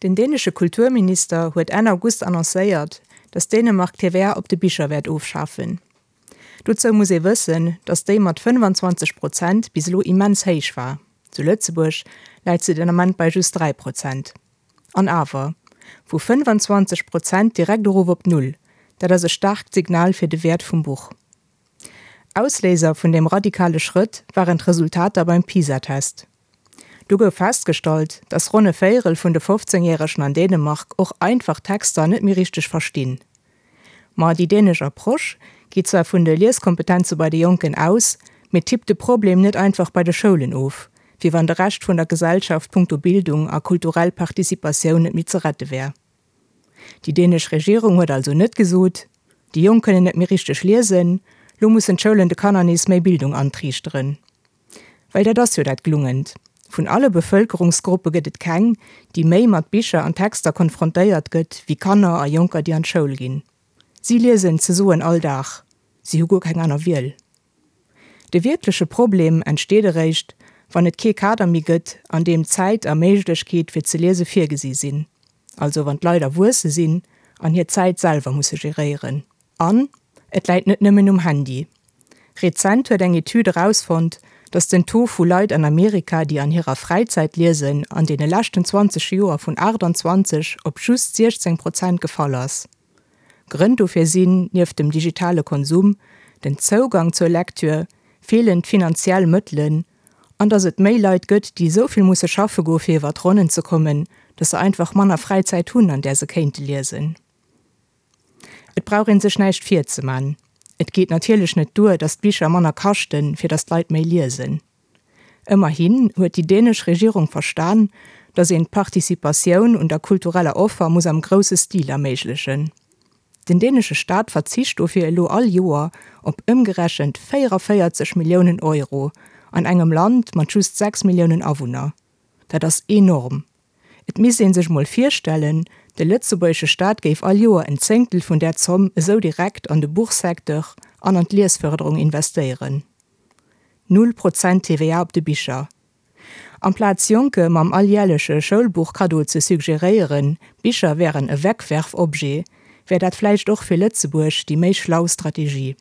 Den dänesche Kulturminister huet Enn August annoncéiert, datt Dänemark d'TVA op de Bicher wäert ofschafen. Dozou muss ee wëssen, datt déi mat 25 Prozent bis elo immens héich war. Zu Lëtzebuerg läit se den Ament bei just 3 Prozent. An awer, vu 25 Prozent direkt erof op Null, dat ass e staarkt Signal fir de Wäert vum Buch. Ausléiser vun deem radikale Schrëtt waren d'Resultater beim PISA-Test. Do gouf festgestallt, datt ronn e Véierel vun de 15 Järegen an Dänemark och einfach Texter net méi richteg verstinn. Ma déi dänesch Approche geet zwar vun de Lieskompetenze bei de Jonken aus, mee tippt de Problem net einfach bei de Schoulen of, wéi wann de Rescht vun der Gesellschaft punkto Bildung a kulturell Participatioun net méi ze rette wär. Déi dänesch Regierung huet also net gesot, déi Jonk kënnen net méi richteg liesen, lo mussen d'Schoulen de Kanner nees méi Bildung antriichteren. Well dat ass jo dat Glungent, Vun alle Bevëlkerungsgruppe gëtt et keng, déi méi mat Bicher an Texter konfrontéiert gëtt wéi Kanner a Jonker, déi an d'Schoul ginn. Si liesen ze soen all Dag, si hu guer keng aner Wiel. De wierkleche Problem entsteet eréischt, wann et kee Kader méi gëtt, an deem Zäit a Méiglechkeet fir ze liese virgesi sinn, also wann d'Leit erwuesse sinn an hir Zäit selwer musse geréieren. An et läit net nëmmen um Handy. Rezent huet eng Etüd erausfonnt, datt den Taux vu Leit an Amerika, déi an hirer Fräizäit liesen, an deene leschten 20 Joer vun 28 op just 16 Prozent gefall ass. Grënn dofir sinn, nieft dem digitale Konsum, den Zougang zur Lektür, feelend finanziell Mëttelen an datt et méi Leit gëtt, déi esou vill musse schaffe goe fir iwwer d'Ronnen ze kommen, datt se einfach manner Fräizäit hunn, an där se kéinte liesen. Et brauch een sech näischt virzeman, et geet natierlech net duer, datt d'Bicher manner kaschten, fir datt d'Leit méi liesen. Ëmmerhin huet déi dänesch Regierung verstan, datt een d'Participatioun un der kultureller Offer muss am grousse Stil erméiglechen. Den dänesche Staat verzicht dofir elo all Joer op ëmgerechent 44 Milliounen Euro, an engem Land mat just 6 Milliounen Awunner. Dat ass enorm. Et misst ee sech mol virstellen, de lëtzebuergesche Staat géif all Joer en Zéngtel vun där Zomm esou direkt an de Buchsecteur an an d'Liesfërderung investéieren. Null Prozent TVA op de Bicher. Amplaz Jonke mam alljärleche Schoulbuchkaddo ze suggeréieren, Bicher wären e Wegwerfobjet, wär dat vläicht och fir Lëtzebuerg déi méi schlau Strategie.